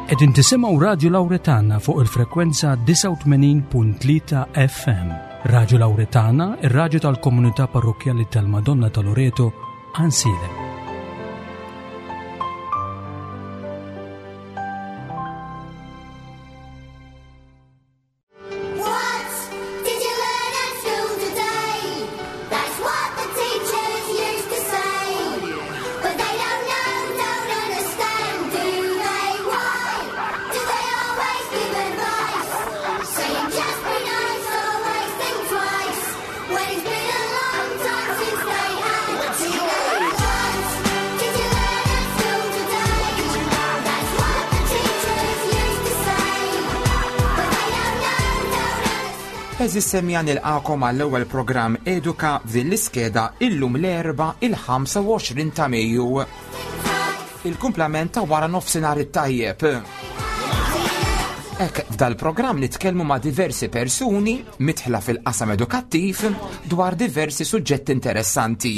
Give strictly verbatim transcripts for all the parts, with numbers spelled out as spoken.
Qegħdin tisimgħu Radio Lauretana fuq il-frekwenza disgħa u tmenin punt tlieta F M. Radio Lauretana, ir-raġu tal-komunità parrokjali tal-Madonna ta' Loreto, Għajnsielem. What did you learn at school today? That's what the teachers used to say. But they don't know, don't understand, do they? Why do they always give advice? Saying just be nice, always think twice. When it's been a long time since they had to. What did you learn at school today? That's what the teachers used to say. But they don't know, don't understand. Għeżież semmiegħa, nilqagħkom għall-ewwel programm Eduka f'din l-iskeda illum l-Erbgħa il-ħamsa u għoxrin ta' Mejju. Il-kumplament ta' wara nofsinhar it-tajjeb. Ek, f'dal-programm nitkellmu ma' diversi persuni midħla fil-qasam edukattiv dwar diversi suġġetti interessanti.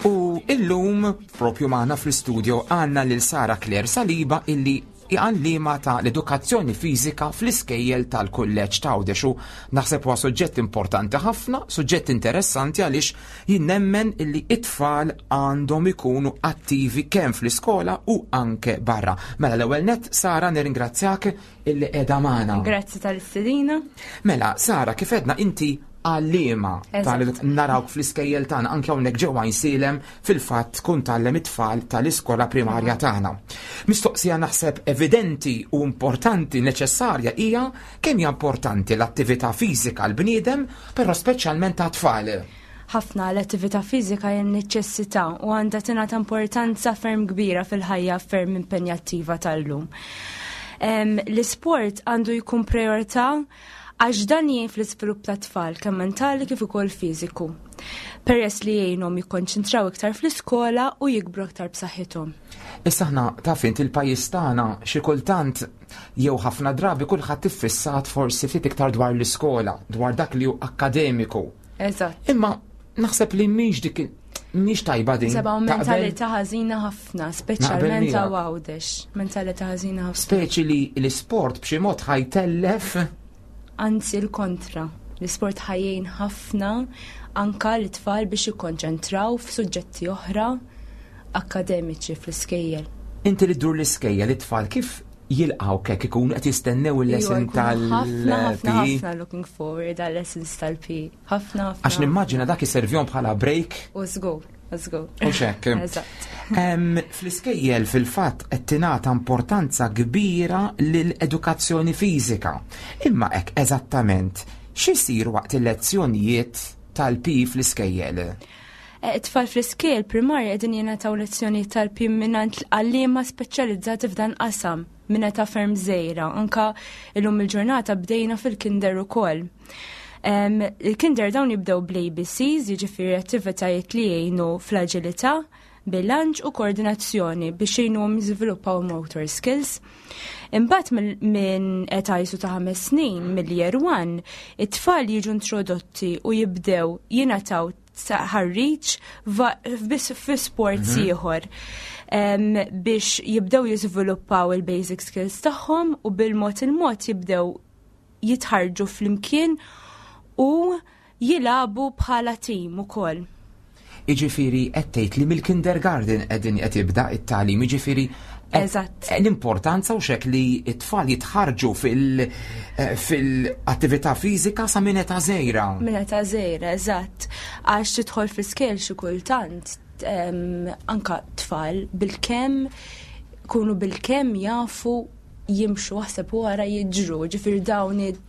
U illum, propju magħna fl-studio għandna lil Sara Claire Saliba, illi għalliema ta' l-edukazzjoni fiżika fl-iskejjel tal-kulleġġ ta' Għawdex, u naħseb huwa suġġett importanti ħafna, suġġett interessanti, għaliex jien nemmen illi it-tfal għandhom ikunu attivi kemm fl-iskola u anke barra. Mela l-ewwel net, Sara, nirringrazzjak illi qiegħda magħna. Grazzi tal-istedina. Mela, Sara, kif għedna, inti għalliema Eżatt. tal narawk fl-iskejjel tagħna, anke hawnhekk ġewwa Għajnsielem fil-fatt tkun tgħallem it-tfal tal-iskola primarja tagħna. Mistoqsija naħseb evidenti u importanti, neċessarja, hija kemm hija importanti l-attività fiżika l-bniedem, però speċjalment ta' tfal. Ħafna. L-attività fiżika hija neċessità u għandha tingħata importanza ferm kbira fil-ħajja ferm impenjattiva tal-lum. Em, L-isport għandu jkun priorità għax dan jgħin fl-iżvilupp ta' tfal kemm mentali kif ukoll fiżiku. Peress li jgħinhom jikkonċentraw iktar fl-iskola u jikbru aktar b'saħħithom. Issa aħna, taf int, il-pajjiż tagħna xi kultant jew ħafna drabi kulħadd iffissat forsi ftit iktar dwar l-iskola, dwar dak li hu akkademiku. Eżatt. Imma naħseb li mhix dik, mhix tajba din. Seba' Taqbel? Mentalità ħażina ħafna, speċjalment miegħek. ta' Għawdex. Mentalità ħażina ħafna. Speċi li l-isport b'xi mod ħa jtellef. Anzi, l-kontra. L-isport ħa jgħin ħafna anka l-tfal biex jikkonċentraw f'suġġetti oħra akademiċi fl-iskejjel. Inti li ddur l-iskejjel, it-tfal kif jilqgħu kek ikunu qed jistennew il-lesson Iva, jkunu ħafna, ħafna, tal-P E? ħafna looking forward għal lessons tal-P E. Ħafna, ħafna. Għax nimmaġina dak iservihom bħala break. U żgur, u żgur. U xek. Eżatt. Em, Fl-iskejjel fil-fatt qed tingħata importanza kbira lill-edukazzjoni fiżika. Imma hekk eżattament x'isir waqt il-lezzjonijiet tal-P E fl-iskejjel? Eh, It-tfal fl-iskejjel primarja qegħdin jingħataw lezzjoni tal-P E mingħand għalliema speċjalizzati f'dan qasam minn età ferm żgħira. Anka illum il-ġurnata bdejna fil-kinder ukoll. Em, Il-kinder dawn jibdew bl-A B Cs, jiġifieri attivitajiet li jgħinu fl-aġilità, bilanċ u koordinazzjoni biex jgħinuhom jiżviluppaw motor skills. Imbagħad mill- minn età jisu ta' ħames snin, mill-year one, it-tfal jiġu introdotti u jibdew jingħataw taħriġ biss fi sports ieħor em, biex jibdew jiżviluppaw il-basic skills tagħhom u bil-mod il-mod jibdew jitħarġu flimkien u jilagħbu bħala tim ukoll. Iġifieri qed tgħid li mill-kindergarten qegħdin qed jibda it-tagħlim, jiġifieri qed- Eżatt. l-importanza u xek li t-tfal jitħarġu fil- eh, fil-attività fiżika sa minn età żgħira. Minn età żgħira, eżatt. Għax tidħol fl-iskejjel xi kultant em, anka tfal bilkemm kunu bilkemm jafu jimxu, aħseb wara jiġru, ġifieri dawn id-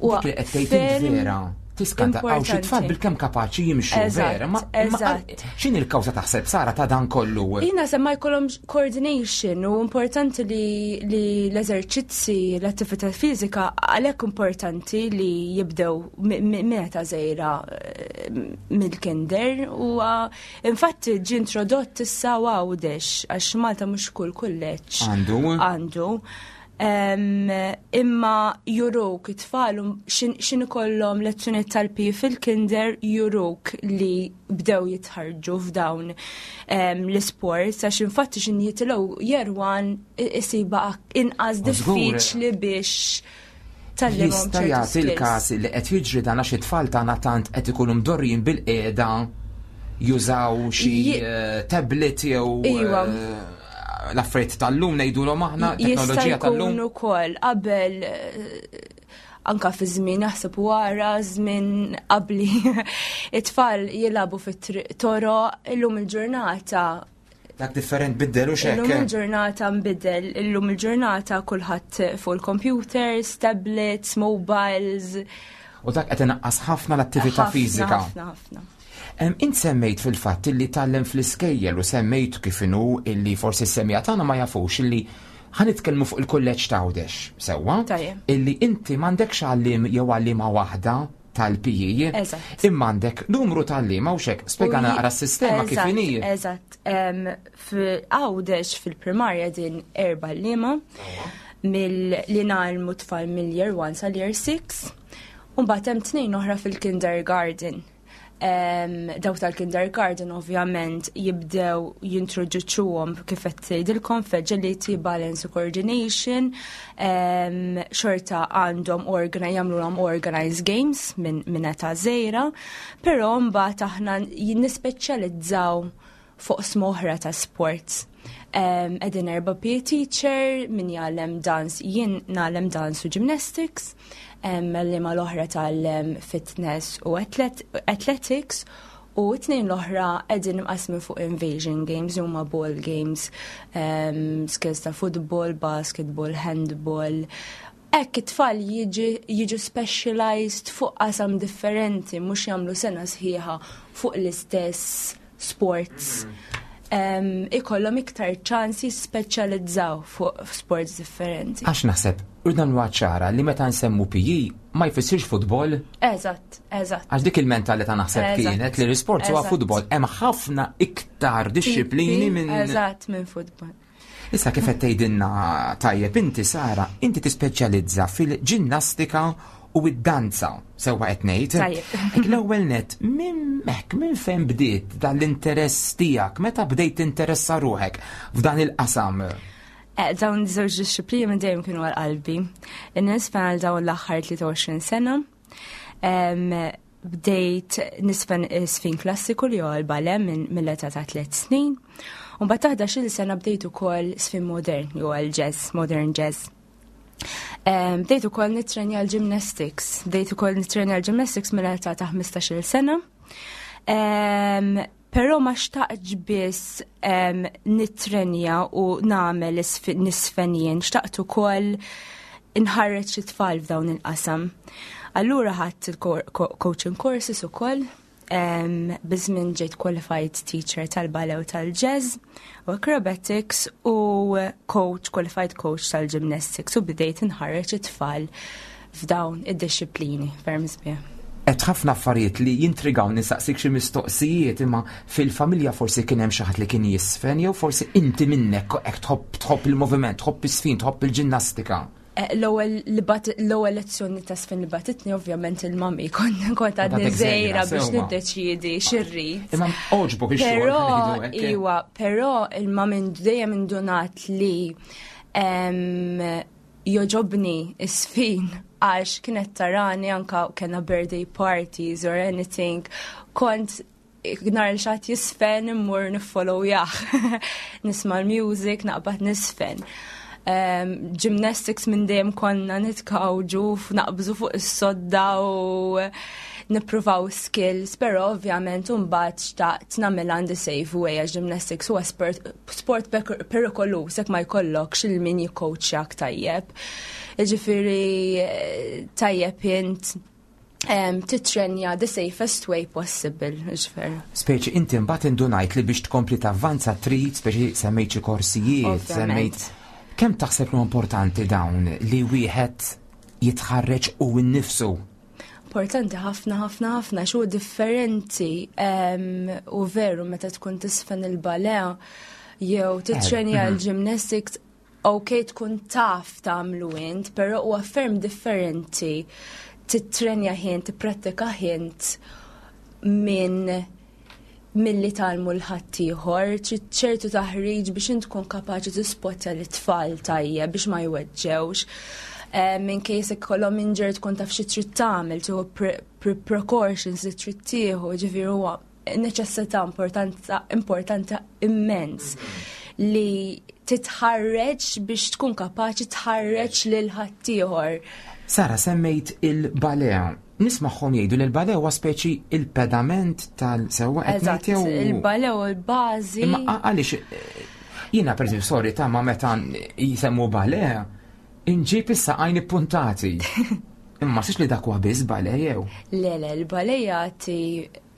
u Dik li qed tgħid ferm vera. Tiskanta għaw xi tfal importanti. bilkemm kapaċi jimxu, Eżatt, vera, ma imma eżatt. x'inhi l-kawża taħseb, Sara, ta' dan kollu? Jina se ma jkollhomx coordination u importanti li, li l-eżerċizzi, l-attività fiżika, għalhekk importanti li jibdew mi- mi- minn età żgħira, eh, mill-kinder, u ah, infatti ġi introdott issa Għawdex għax Malta mhux kull kulleġġ Għandu. għandu. Em, imma juruk it-tfal x'ħin ikollhom lezzjoni tal-P E fil-kinder, juruk li bdew jitħarġu f'dawn em, l-sports, għax infatti x'ħin jitilgħu year one isibha inqas U żgur. diffiċli biex tgħallimhom Jista' ċertu jagħti skills. il-każ li qed jiġri dan għax it-tfal tagħna tant qed ikunu mdorrijin bil-qiegħda jużaw xi Ji- eh, tablet jew Iwa. eh, l-affarijiet tal-lum, ngħidulhom aħna, Jista' teknoloġija tal-lum. jkun ukoll. Qabel, eh, anka fi żmien, jaħseb wara żmien qabli, it-tfal jilagħbu fit-toro. Illum il-ġurnata Dak different biddel u Illum xek. il-ġurnata nbidel, illum il-ġurnata kulħadd fuq il-computers, tablets, mobiles. U dak qed inaqqas ħafna l-attività Ħafna, fiżika. Ħafna, ħafna. Em, Int semmejt fil-fatt illi tgħallem fl-iskejjel u semmejt kif inhu illi forsi s-semmiegħa tagħna ma jafux illi ħa nitkellmu fuq il-kulleġġ t'Għawdex, sewwa? Tajjeb. Illi inti m'għandekx għallim jew għallima waħda tal-P E. Eżatt. Imma għandek numru t'għalliema u xek, spjega U naqra s-sistema kif Eżatt, inhi. Eżatt. Em, F'Għawdex fil-primarja din erba' għalliema mill li ngħallmu tfal mill-year one sal-year six. U mbagħad hemm tnejn oħra fil-kindergarten. Em, Dawk tal-kindergarten ovvjament jibdew jintroduċuhom, kif qed tgħidilkom, f'agility, balance u coordination. Em, xorta għandhom organi jagħmluhom organized games minn min età żgħira, però mbagħad aħna nispeċjalizzaw fuq oqsma ta' sports. Um, Qegħdin erba' P E teacher, min jgħallem dance, jien ngħallem dance u gymnastics, um, l l-oħra tgħallem fitness u athlet athletics, u t-tnejn l-oħra qegħdin imqasmin fuq invasion games, huma ball games, um, skills ta' football, basketball, handball. Hekk it-tfal jiġi- jiġu specialized fuq qasam differenti, mhux jagħmlu sena sħiħa fuq l-istess sports. Um, ikollhom iktar ċans jispeċjalizzaw fuq sports differenti. Għax naħseb, urdan ċara li meta nsemmu P E ma jfissirx futbol, Eżatt, eżatt. għax dik il-mentalità naħseb Eżatt. kienet li l-sport huwa Eżatt. futbol. Hemm ħafna iktar dixxiplini minn Eżatt, minn futbol. Issa, kif qed tgħidilna tajjeb inti, Sara, inti tispeċjalizza fil-ġinnastika u id-danza, sewwa qed ngħid? Tajjeb. Ek l-ewwel net, minn hekk minn fejn bdiet dan l-interess tiegħek, meta bdejt tinteressa ruħek f'dan il-qasam? Eh, dawn żewġ dixxiplini minn dejjem kienu għal qalbi. Nisfen għal dawn l-aħħar tlieta u għoxrin sena. Em, Bdejt nisfen sfin klassiku li huwa l-ballet minn mill-età ta' tliet snin. U mbagħad ta' ħdax-il sena bdejt ukoll sfin modern, li huwa l-jazz, modern jazz. Em, Bdejt ukoll nitrenja l-gymnastics. Bdejt ukoll nitrenja l-gymnastics mill-età ta' ħmistax-il sena. Em, Però ma xtaqtx biss em, nitrenja u nagħmel isf- nisfen jien, xtaqt ukoll inħarreġ it-tfal f'dawn il-qasam. Allura ħadt il-coaching courses ukoll, em, biż-żmien ġejt qualified teacher tal-ballet u tal-jazz u acrobatics u coach, qualified coach tal-gymnastics, u bdejt inħarreġ it-tfal f'dawn id-dixxiplini ferm sbieħ. Qed ħafna affarijiet li jintrigaw nistaqsik xi mistoqsijiet, imma fil-familja forsi kien hemm xi ħadd li kien jisfen jew forsi inti minnek hekk tħobb tħobb il-moviment, tħobb is-sfin, tħobb il-ġinnastika. Eh, L-ewwel li bat l-ewwel lezzjoni ta' sfin li bagħtitni ovvjament il-mami, kont kont għadni Għadek żgħira żgħira, biex sewwa. niddeċiedi x'irrid. Imma għoġbok ix-xogħol, Però, ngħidu hekk, eh? iwa, però il-mami dejjem indunat li em, jogħġobni is-sfin, għax kienet tarani anka kena birthday parties or anything, kont nara 'l xi ħadd jisfen immur niffollowjah. Nisma' l-music, naqbad nisfen. Um, gymnastics minn dejjem konna nitkawġu, naqbżu fuq is-sodda u nippruvaw skills, però ovvjament mbagħad xtaqt nagħmel on the safe way, għax gymnastics huwa sport, sport perikoluż jekk ma jkollokx lil min jikkoachjak tajjeb. Jiġifieri eh, tajjeb int um, titrenja the safest way possible, ġifieri. Speċi inti mbagħad indunajt li biex tkompli tavvanza trid, speċi semmejt xi korsijiet, Ovvjament. semmejt. Kemm taħseb li importanti dawn li wieħed jitħarreġ u nnifsu? Importanti ħafna, ħafna, ħafna, xu differenti em, u veru meta tkun tisfen il-ballet jew titrenja mhm. l-gymnastics. Ok, tkun taf tagħmlu int, però huwa ferm differenti titrenja int, tipprattika int minn milli tgħallmu lil ħaddieħor, trid ċertu taħriġ biex int tkun kapaċi tispottja l-tfal tajjeb biex ma jweġġewx. Eh, Minn case ikollhom injury tkun taf xi trid tagħmel, tieħu pre- pre- precautions li trid tieħu, ġifieri huwa neċessità importanza importanti immens li titħarreġ biex tkun kapaċi tħarreġ lil ħaddieħor. Sara, semmejt il-ballet. Nismagħhom jgħidu li l-ballet huwa speċi il-pedament tal-sewwa qed Eżatt, ngħid jew- il-ballet u l-bażi. Imma a- għaliex eh, jiena per eżempju, sorry ta' ma meta jisemmu ballet, inġib is-saqajn ippuntati. Imma six li dak huwa biss ballet jew. Le, le, il-ballet jagħti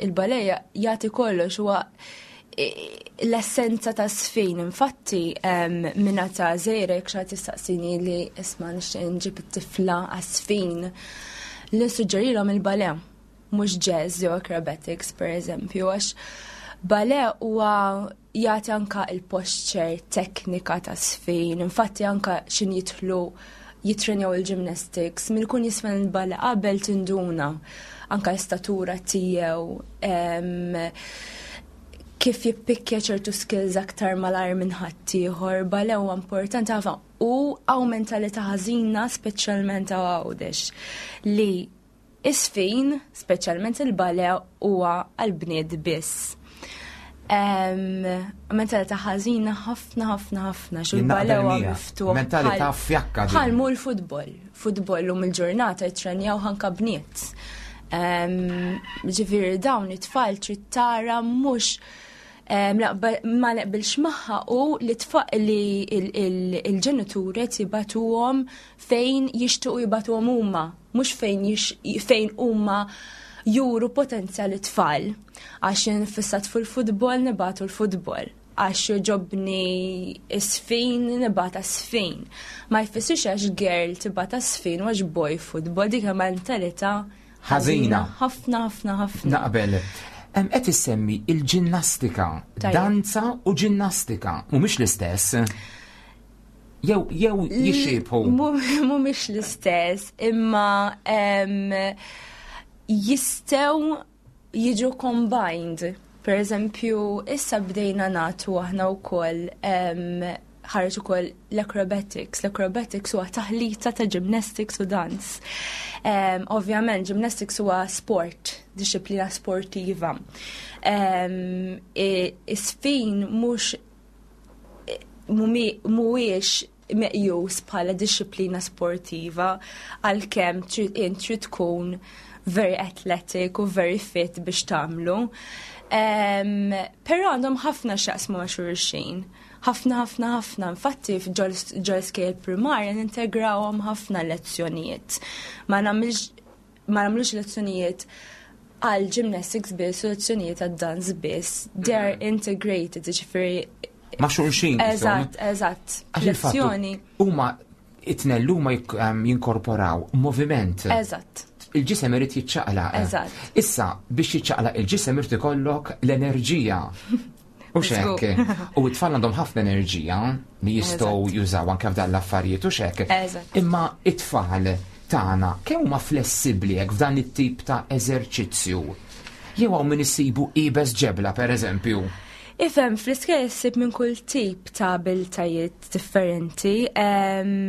il-ballet jagħti kollox, huwa eh, l-essenza ta' sfin. Infatti, minn età żgħira, jekk xi ħadd jistaqsini li isma' nixtieq nġib it-tifla għas-sfin, li nissuġġerilhom il-ballet, mhux jazz jew acrobatics, per eżempju, għax ballet huwa jagħti anka il-posture, teknika ta' sfin, infatti anka x'ħin jidħlu jitrenjaw il-gymnastics, min ikun jiżfen il-ballet qabel tinduna anka l-istatura tiegħu, em, kif jippikkja ċertu skills aktar malajr minn ħaddieħor. Ballet huwa importanti ħafna u hawn mentalità ħażina, speċjalment hawn Għawdex, li is-sfin, speċjalment il-ballet, huwa għal-bniet biss. Em, Mentalità ħażina ħafna ħafna ħafna, xu Jien naqbel l-ballet huwa miegħek. miftuħ. Mentalità bħal- fjakka din. Bħal mu l-futbol. Futbol lum il-ġurnata jitrenjaw anka bniet. Em, Ġifieri dawn it-tfal trid tara mhux em, naqbel- ma naqbilx magħha u li tfa li il- il- il-ġenituri jibagħtuhom fejn jixtiequ jibagħtuhom huma, mhux fejn jix- fejn huma juru potenzjal it-tfal. Għax jien fissat fil-futbol nibagħtu l-futbol. Għax jogħġobni sfin, nibgħatha sfin. Ma jfissirx għax girl tibgħatha sfin u għax boy futbol, dik mentalità Ħażina. Ħafna, ħafna, ħafna. Naqbel. Em, Qed issemmi il-ġinnastika, Tajjeb. danza u ġinnastika, mhumiex l-istess. Jew jew jixxiebħu. Mhumiex l-istess, imma em, jistgħu jiġu combined. Per eżempju, issa bdejna nagħtu aħna wkoll em, ħareġ ukoll l-acrobatics. L-acrobatics huwa taħlita ta' gymnastics u dance. Um, ovvjament, gymnastics huwa sport, disciplina sportiva. Um, Is-sfin mhux mhuwiex meqjus bħala disciplina sportiva, għalkemm trid int trid tkun very athletic u very fit biex tagħmlu. Um, Però għandhom ħafna x'jaqsmu ma' xulxin. Ħafna, ħafna, ħafna. Infatti ġol-iskejjel primarja nintegrawhom ħafna lezzjonijiet. Ma nagħmilx ma nagħmlux lezzjonijiet għal gymnastics biss u lezzjonijiet għal dance biss. They are integrated, ġifieri Ma' xulxin. Eżatt, eżatt. Għax il-fattu Lezzjoni. huma it-tnejn huma jik- em, jinkorporaw moviment. Eżatt. Il-ġisem irid jiċċaqlaq. Eżatt. Issa, biex jiċċaqlaq il-ġisem irid ikollok l-enerġija. U xek. U it-tfal għandhom ħafna enerġija li jistgħu jużaw anke f'dan l-affarijiet u xek. Eżatt. Imma it-tfal tagħna kemm huma flessibbli hekk f'dan it-tip ta' eżerċizzju? Jew hawn min issibu iebes ġebla pereżempju. Ifhem, fl-iskejjel issib minn kull tip ta' abiltajiet differenti. Em,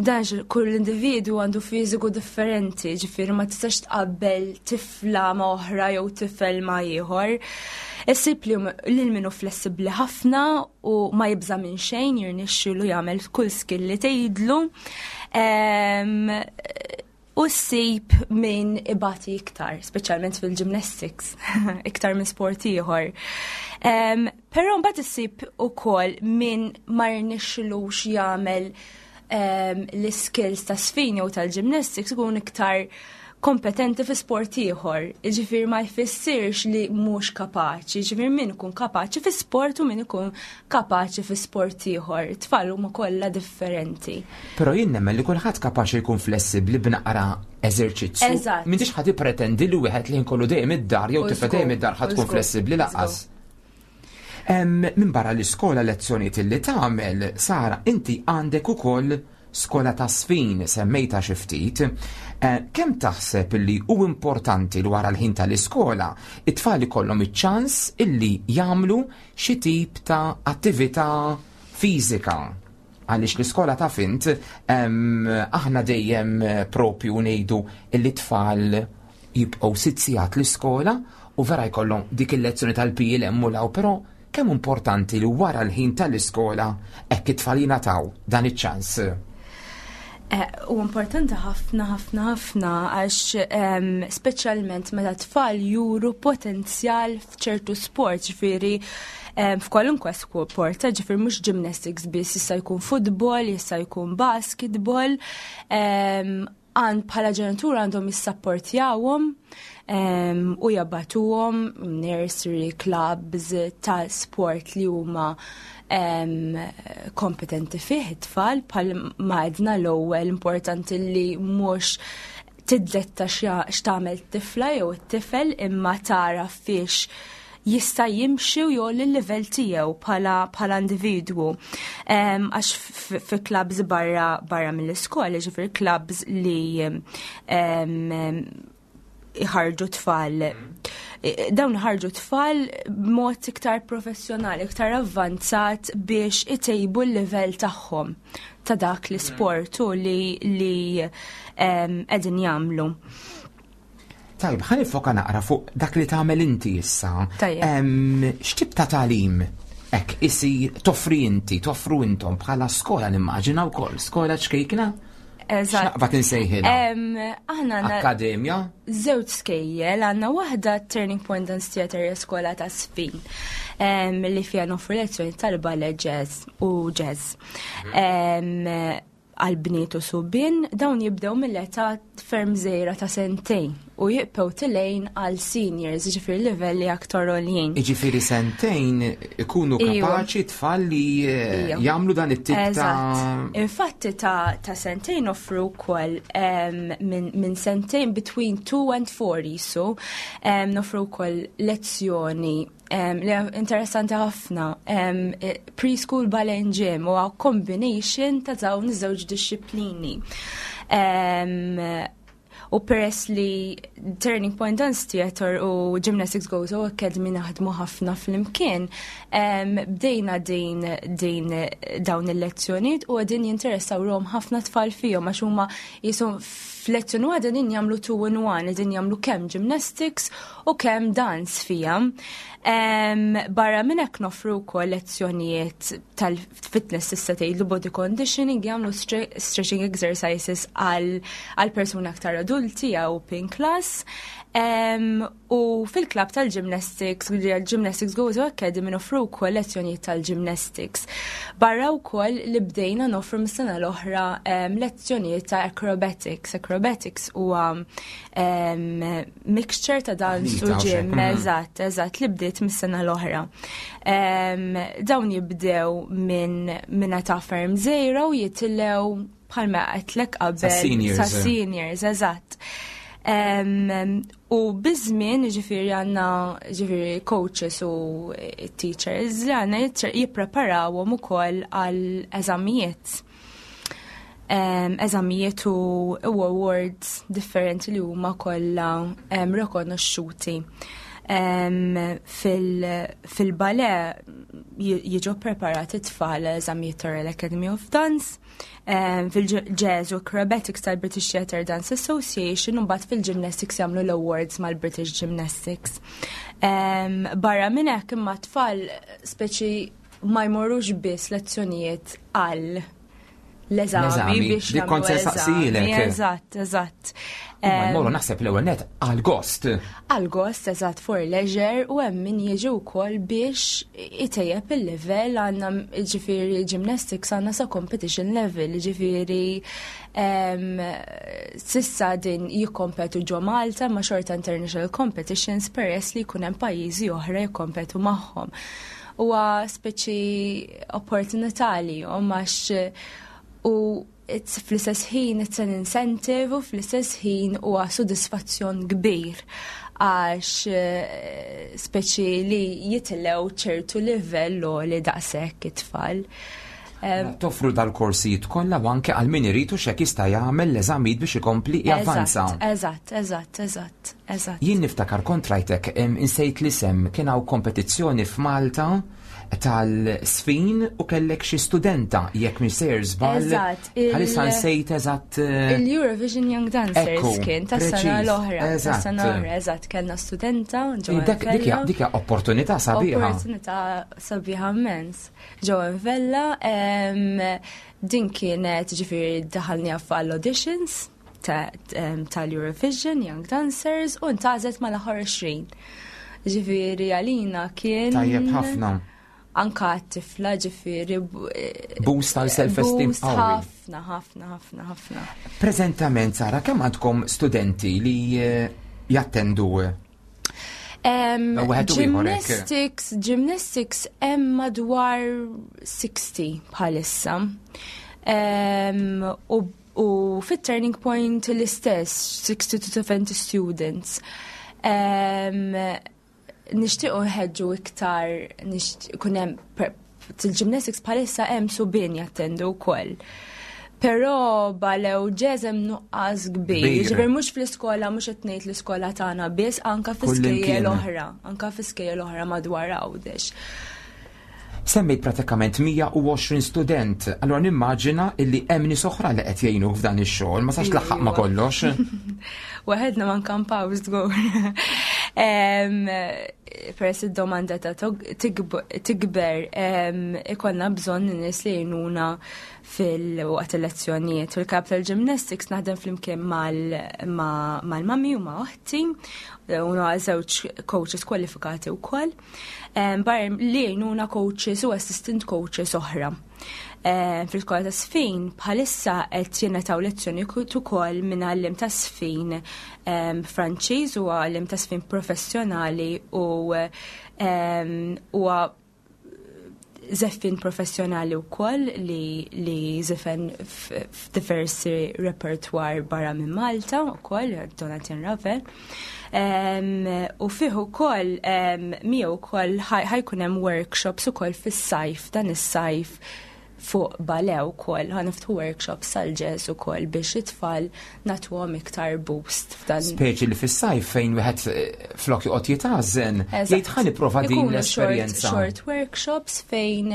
Dan x- kull individu għandu fiżiku differenti, ġifieri ma tistax tqabbel tifla ma' oħra jew tifel ma' ieħor. Issib li lil min hu flessibbli ħafna u ma jibża minn xejn, jirnexxilu jagħmel kull skill li tgħidlu. Em, U ssib min ibati iktar, speċjalment fil-gymnastics, iktar minn sport ieħor. Um, Però mbagħad issib ukoll min ma jirnexxilux jagħmel um, l-skills ta' sfin jew tal-gymnastics, ikun iktar kompetenti fi sport ieħor. Ġifieri ma jfissirx li mhux kapaċi, ġifieri min ikun kapaċi fi sport u min ikun kapaċi fi sport ieħor. Tfal huma kollha differenti. Però jien nemmen li kulħadd kapaċi jkun flessibbli b'naqra eżerċizzju. Eżatt. M'intix ħa tippretendi li wieħed li nkollu dejjem id-dar jew U tifla żgur, dejjem id-dar ħa u tkun żgur, flessibbli lanqas. Minn barra l-iskola, lezzjonijiet li tagħmel, Sara, inti għandek ukoll skola ta' żfin, semmejta xi ftit. Eh, kemm taħseb li hu importanti li wara l-ħin tal-iskola it-tfal ikollhom iċ-ċans illi jagħmlu xi tip ta' attività fiżika? Għaliex l-iskola, taf int, aħna dejjem propju ngħidu illi tfal jibqgħu sitt sigħat l-iskola u vera jkollhom dik il-lezzjoni tal-P E u law, però kemm importanti li wara l-ħin tal-iskola hekk it-tfal jingħataw dan iċ-ċans? Eh, u importanti ħafna ħafna ħafna, għax speċjalment meta tfal juru potenzjal f'ċertu sport, ġifieri f'kwalunkwe sport, ġifieri mhux gymnastics biss, jista' jkun futbol, jista' jkun basketball, għand bħala ġenitur għandhom jissapportjawhom u jibagħtuhom nursery clubs ta' sport li huma kompetenti fih it-tfal. Bħal ma għedna l-ewwel, importanti li mhux tiddetta x'tagħmel tifla jew it-tifel, imma tara fiex jista' jimxi u jgħolli l-livell tiegħu bħala bħala individwu. Għax fi clubs barra barra mill-iskola, ġifier clubs li iħarġu tfal, dawn ħarġu tfal b'mod iktar professjonali, iktar avvanzat biex itejbu l-livell tagħhom ta' dak l-sport u li li qegħdin jagħmlu. Tajb, ħa niffoka naqra fuq dak li tagħmel inti issa. X'tip ta' tagħlim hekk isir toffri inti, toffru intom bħala skola, nimmaġina wkoll, skola ċkejkna? Eżatt. X'naqbad insejħilha? Aħna għandna Akkademja? żewġ skejjel, għandna waħda Turning Point Dance Theatre, skola ta' żfin, li fiha noffru lezzjoni tal-ballet, jazz u jazz. Għal bniet u subien, dawn jibdew mill-età ferm żgħira ta' sentejn u jibqgħu telgħin għal seniors, ġifieri livelli aktar għoljin. Iġifieri sentejn ikunu Iva. kapaċi tfal li eh, Iva. jagħmlu dan it-tip ta' Eżatt. Infatti ta' ta' sentejn offru wkoll em, minn min sentejn, between two and four jisu, em, noffru wkoll lezzjoni em, li interessanti ħafna, em, eh, preschool ballet and gym, u combination ta' dawn iż-żewġ disċiplini. Em, U peress li Turning Point Dance Theatre u Gymnastics Gozo Academy naħdmu ħafna flimkien, em, bdejna din, din dawn il-lezzjonijiet u qegħdin jinteressaw ruħhom ħafna tfal fihom, għax huma jisom f'lezzjoni waħda din jagħmlu two in one, din jagħmlu kemm gymnastics u kemm dance fija. Em, barra minn hekk noffru wkoll lezzjonijiet tal-fitness, tista' tgħidlu body conditioning, jagħmlu stre- stretching exercises għal għal persuni aktar adulti jew open class. Em, u fil-klab tal-gymnastics, Gymnastics Gozo Academy, noffru wkoll lezzjonijiet tal-gymnastics. Barra wkoll li bdejna noffru mis-sena l-oħra em, lezzjonijiet ta' acrobatics. Acrobatics huwa em, mixture ta' dance u Taħlita u gym, xek, mhm. eżatt, eżatt, li bdiet mis-sena l-oħra. Em, dawn jibdew minn minn età ferm żgħira u jitilgħu bħalma għedtlek qabel Sa seniors. Sa seniors, eżatt. Em, u biż-żmien ġifieri għandna ġifieri coaches u teachers li għandna jitr- jippreparawhom ukoll għal eżamijiet. Em, eżamijiet u, u awards differenti li huma kollha em, rikonoxxuti. Em, fil- Fil-ballet ji- jiġu preparati tfal eżamijiet Royal Academy of Dance, em, fil-jazz u acrobatics tal-British Theatre Dance Association, u mbagħad fil-gymnastics jagħmlu l-awards mal-British Gymnastics. Em, Barra minn hekk, imma tfal speċi ma jmorrux biss lezzjonijiet għal l-eżami L-eżami, biex dik kont se jagħmlu saqsilek. eżami. Eżatt, eżatt. Huma Em, jmorru, naħseb, l-ewwel net għal gost. Għal gost, eżatt, for leisure, u hemm min jiġi wkoll biex itejjeb il-level. Għandna ġifieri gymnastics għandna sa competition level, ġifieri em, s'issa din jikkompetu ġo Malta ma xorta international competitions, peress li jkun hemm pajjiżi oħra jikkompetu magħhom. Huwa speċi opportunità li għax u it's fl-istess ħin it's an incentive u fl-istess ħin huwa sodisfazzjon kbir Għax eh, speċi li jitilgħu ċertu livell li daqshekk it-tfal. Toffru dal-korsijiet kollha u anke għal min irid u xek jista' jagħmel l-eżamijiet biex ikompli javvanza. Eżatt, eżatt, eżatt, eżatt. Jien niftakar kontrajtek, insejt l-isem, kien hawn kompetizzjoni f'Malta tal-sfin u kellek xi studenta, jekk mhix sejjer żball. Eżatt. Bħalissa nsejt eżatt. eh, Il-Eurovision Young Dancers kien tas-sena l-oħra. Tas-sena l-oħra, eżatt, kellna studenta. Dik hija opportunità sabiħa. Opportunità sabiħa immens. Joanne Vella, din kienet, ġifieri, daħalni għall-auditions tal-Eurovision Young Dancers u ntgħażlet mal-aħħar għoxrin. Ġifieri għalina kien. Tajjeb ħafna. Anka t-tifla, ġifieri. Boost tal-self-esteem. Boost ħafna, ħafna, ħafna, ħafna. Preżentament, Sara, kemm għandkom studenti li eh, jattendu? Gymnastics, gymnastics hemm madwar sittaħxin bħalissa. U u fit-Turning Point l-istess, sixty to seventy students. Nixtiequ nħeġġu iktar, kun hemm il-gymnastics, bħalissa hemm subien jattendu wkoll. Però ballet u jazz hemm nuqqas kbir. Ġifieri mhux fl-iskola, mhux qed ngħid l-iskola tagħna biss, anka fi oħra, anka fi skejjel oħra madwar Għawdex. Semmejt pratikament mija u għoxrin student, allora nimmaġina illi hemm nies oħra li qed jgħinu f'dan ix-xogħol, ma sax tlaħħaq ma' kollox. Waħedna ma nkampaw żgur. Peress id-domanda ta' tikber, ikollna bżonn nies li jgħinuna fil-waqt il-lezzjonijiet. Fil-Capital Gymnastics naħdem flimkien mal-mami u ma' oħti, u żewġ coaches kwalifikati wkoll. Barra li jgħinuna coaches u assistant coaches oħra. Fil-skola ta' sfin bħalissa qed jingħataw lezzjoni ukoll minn għallim ta' sfin Franċiż, u għallim ta' sfin professjonali u huwa żeffien professjonali wkoll li li żifen f'diversi repertoire barra minn Malta wkoll, Donatien Ravel. U fih ukoll miegħu wkoll ħa jkun hemm workshops ukoll fis-sajf, dan is-sajf, fuq ballet ukoll, ħa niftħu workshops sal-jazz ukoll biex it-tfal nagħtuhom iktar boost f'dan. Speċi li fis-sajf fejn wieħed eh, flok joqgħod jitgħażen, jgħid ħa nipprova din l-esperjenza. Short workshops fejn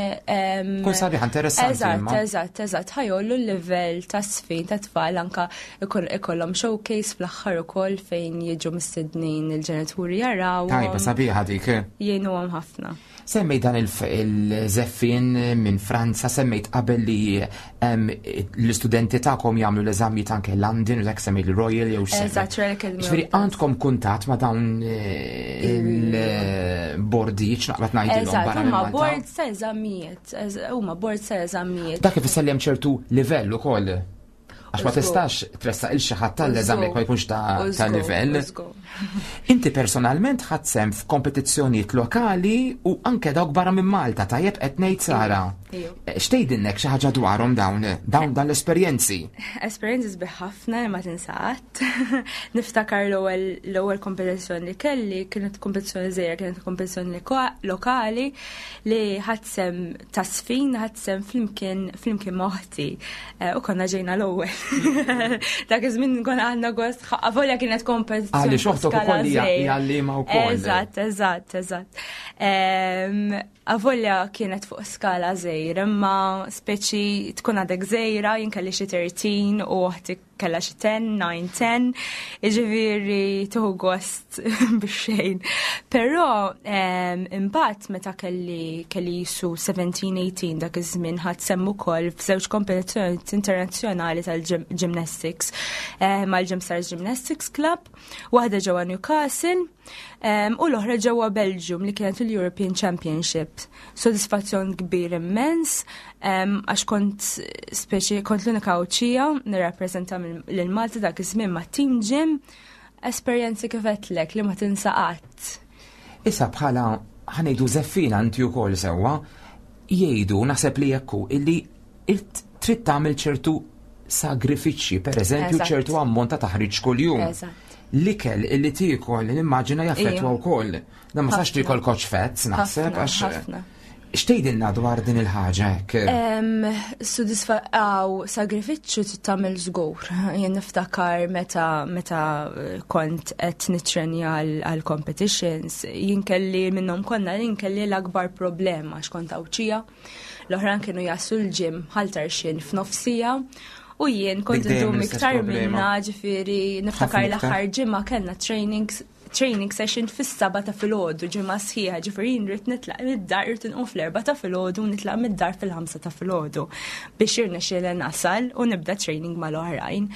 Kun sabiħ, interessanti. Eżatt, eżatt, eżatt, ħa jgħollu l-livell ta' sfin ta' tfal, anka ikollhom showcase fl-aħħar ukoll fejn jiġu mistednin il-ġenituri jaraw. Tajba, sabiħa dik. Jgħinuhom ħafna. Semmej dan il-żeffien minn Franza, semmejt qabel li l-istudenti tagħkom jagħmlu l-eżamijiet anke London u dak, semmejt il-Royal jew Eżatt, Royal Academy. Ġifieri għandkom kuntatt ma' dawn eh, il-bordijiet, naqbad ngħidilhom. Eżatt, huma board ta' eżamijiet, huma board ta' eżamijiet. Dak ifisser li hemm ċertu livell ukoll. Għax ma tistax tressaq lil xi ħadd tal-eżami ma jkunx ta' livell. Inti personalment ħadt sehem f'kompetizzjonijiet lokali u anke dawk barra minn Malta, tajjeb qed ngħid, Sara? Eh, x'tgħidilnek xi ħaġa dwarhom dawn dawn dan l-esperjenzi? Esperjenzi sbieħ ħafna li ma tinsa qatt. Niftakar l-ewwel kompetizzjoni li kelli kienet kompetizzjoni żgħira, kienet kompetizzjoni lokali li ħadt sehem ta' sfin, ħadt sehem flimkien flimkien ma' oħti eh, u konna ġejna l-ewwel. Dak iż-żmien konna għandna gost, avolja kienet kompetizzjoni. Għaliex oħtok ukoll hija għalliema wkoll. Eżatt, eżatt, eżatt. Avolja kienet fuq skala żgħira, imma speċi tkun għadek żgħira, jien kelli xi tlettax u oħti kellha xi għaxra, disa, għaxra, jiġifieri tieħu gost biex xejn. Però imbagħad meta kelli kelli jisu sbatax, tmintax, dak iż-żmien ħadt sehem ukoll f'żewġ kompetizzjoni internazzjonali tal-gymnastics mal-Gymstars Gymnastics Club, waħda ġewwa Newcastle u l-oħra ġewwa Belgium li kienet il-European Championship. Sodisfazzjon kbir immens għax kont speċi kont l-unika Għawdxija nirrappreżenta lil Malta dak iż-żmien ma' Team Gym, esperjenzi kif għedtlek li ma tinsa qatt. Issa bħala, ħa ngħidu, żeffiena inti wkoll sewwa, jgħidu, naħseb li jekku, illi trid tagħmel ċertu sagrifiċċji, per eżempju ċertu ammont ta' taħriġ kuljum. L-ikel illi tiekol, nimmaġina jaffettwa Ija. wkoll. Dan ma sax Ħafna. tiekol koċ fett, naħseb, Ħafna, għax. ħafna. X'tgħidilna dwar din il-ħaġa hekk? Em, Sodisfa għaw sagrifiċċju trid tagħmel żgur. Jien niftakar meta meta kont qed nitrenja għal għal competitions, jien kelli minnhom konna jien kelli l-akbar problema għax kont Għawdxija. L-oħrajn kienu jaslu l-gym Ħal Tarxien f'nofs siegħa u jien kont Dik dejjem indum l-istess iktar problema. minna, ġifieri niftakar Ħafna iktar. l-aħħar ġimgħa kellna trainings training session fis-seba ta' filgħodu, ġimgħa sħiħa, ġifieri jien rrid nitlaq mid-dar, rrid inqum fl-erba' ta' filgħodu u nitlaq mid-dar fil-ħamsa ta' filgħodu biex jirnexxieli nasal u nibda training mal-oħrajn.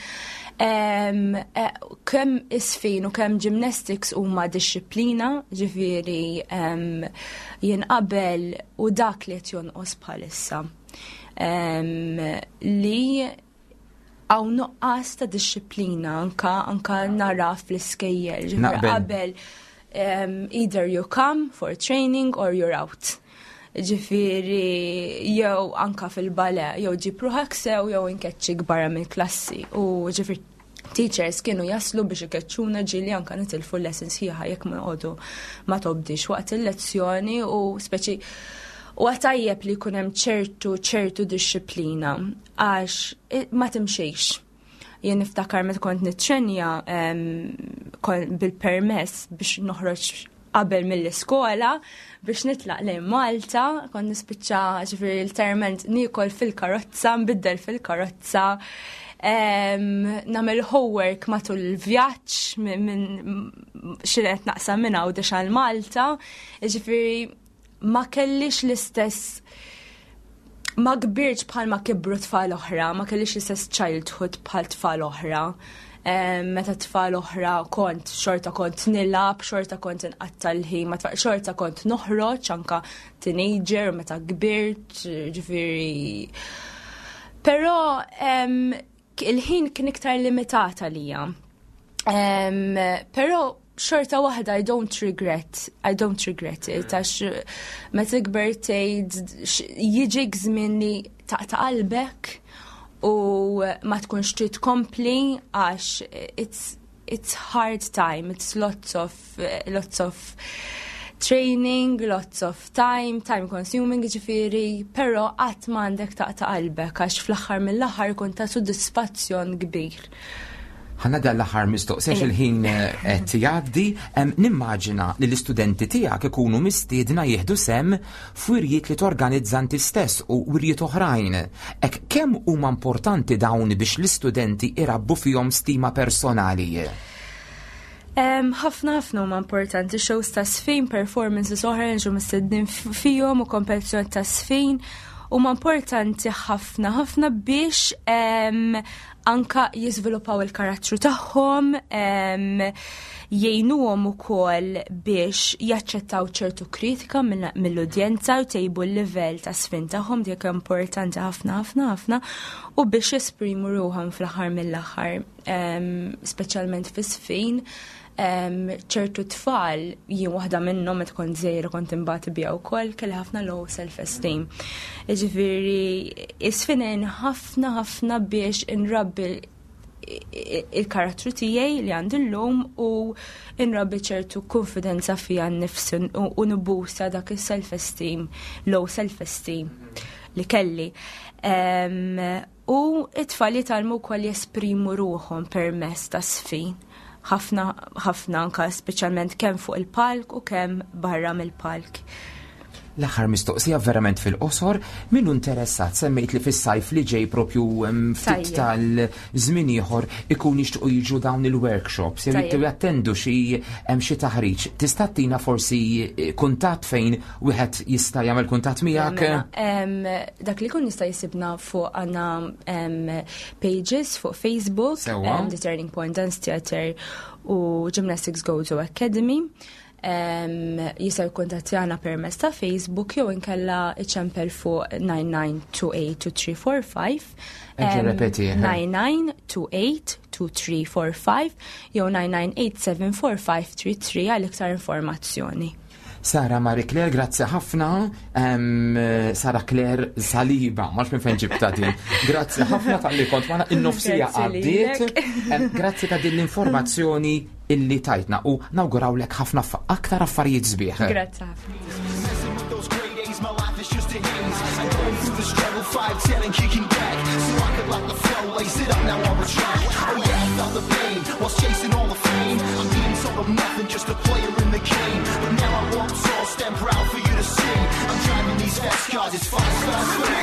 Em, eh, Kemm iż-żfin u kemm gymnastics huma dixxiplina, ġifieri em, jien qabel u dak li qed jonqos bħalissa. Em, li hawn nuqqas ta' dixxiplina anka anka nara fl-iskejjel. Ġifieri Naqbel. Qabel um, either you come for training or you're out. Ġifieri jew anka fil-ballet, jew ġib ruħak sew jew inkeċċik barra mill-klassi. U ġifieri teachers kienu jaslu biex ikeċċuna, ġieli anka nitilfu lessons sħiħa jekk ma noqogħdu ma tobdix waqt il-lezzjoni u speċi u għatajjeb li jkun hemm ċertu ċertu dixxiplina għax i- ma timxejx. Jien niftakar meta kont nitrenja em, kon- bil-permess biex noħroġ qabel mill-iskola biex nitlaq lejn Malta, kont nispiċċa, ġifieri literalment niekol fil-karozza, nbiddel fil-karozza, em, nagħmel homework matul il-vjaġġ minn min xi qed naqsam minn Għawdex għal Malta, ġifieri ma kellix l-istess, ma kbirtx bħal ma kibru tfal oħra, ma kellix l-istess childhood bħal tfal oħra. Em, Meta tfal oħra kont xorta kont nilgħab, xorta kont inqatta l-ħin, ma tfal xorta kont noħroġ anka teenager, meta kbirt, ġifieri. Però em, il-ħin kien iktar limitat għalija. Um, però xorta waħda I don't regret, I don't regret it, għax meta tikber tgħid jiġik żmien li taqta' qalbek u ma tkunx trid tkompli għax it's it's hard time, it's lots of lots of training, lots of time, time consuming ġifieri, però qatt m'għandek taqta' qalbek għax fl-aħħar mill-aħħar kun ta' sodisfazzjon kbir. Ħa nagħti l-aħħar mistoqsija, il-ħin eh, qed jgħaddi, em, nimmaġina li l-istudenti tiegħek ikunu mistiedna jieħdu sehem f'wirjiet li torganizza inti stess u wirjiet oħrajn. Ek kemm huma importanti dawn biex l-istudenti irabbu fihom stima personali? Em, Ħafna ħafna huma importanti shows ta' żfin, performances oħra li ġu mistednin fihom u kompetizzjoni ta' żfin huma importanti ħafna ħafna biex em, anka jiżviluppaw il-karattru tagħhom, em, jgħinuhom ukoll biex jaċċettaw ċertu kritika mill- mill-udjenza u tejbu l-livell ta' żfin tagħhom, dik importanti ħafna ħafna ħafna, u biex jesprimu ruħhom fl-aħħar mill-aħħar, em, speċjalment fiż-żfin em, ċertu tfal, jien waħda minnhom meta kont żgħira kont imbagħad biha wkoll, kelli ħafna low self-esteem. Ġifieri iż-żfin ħafna ħafna biex inrabbi il-karattru tiegħi li għandi llum u inrabbi ċertu konfidenza fija nnifsi u u nibbusta dak il-self-esteem, low self-esteem li kelli. Em, U it-tfal jitgħallmu wkoll jesprimu ruħhom permezz ta' żfin. Ħafna ħafna anka speċjalment kemm fuq il-palk u kemm barra mill-palk. L-aħħar mistoqsija verament fil-qosor, min hu interessat, semmejt li fis-sajf li ġej propju em, ftit Tajjeb. tal-żmien ieħor ikun jixtiequ jiġu dawn il-workshops, jew Tajjeb. jittu jattendu xi hemm xi taħriġ. Tista' tina forsi eh, kuntatt fejn wieħed jista' jagħmel kuntatt miegħek? Mela, em, dak li kun jista' jsibna fuq għandna em, pages fuq Facebook, Sewwa. em, The Turning Point Dance Theatre u Gymnastics Gozo Academy. Um, jista' jikkuntattjana permezz ta' Facebook jew inkella iċempel fuq nine nine two eight two three four five. Erġa' repeti, eh. nine nine two eight two three four five jew nine nine eight seven four five three three għal iktar informazzjoni. Sara Marie Claire, grazzi ħafna. Em, Sara Claire Saliba, ma minn fejn ġibta din. Grazzi ħafna talli kont magħna, in-nofs siegħa Grazzi għaddiet. lilek. Em, Grazzi ta' din l-informazzjoni Illi tajtna u nawgurawlek ħafna aktar affarijiet sbieħ. Grazzi ħafna. Messing with those grade A's, my life is just a haze. I'm going through the struggle, five ten and kicking back. So I could lock the flow, lace it up, now I'm a track. Oh yeah, I felt the pain whilst chasing all the fame. I'm being told I'm nothing, just a player in the game. But now I walk tall, stand proud for you to see. I'm driving these fast cars, it's five stars for me.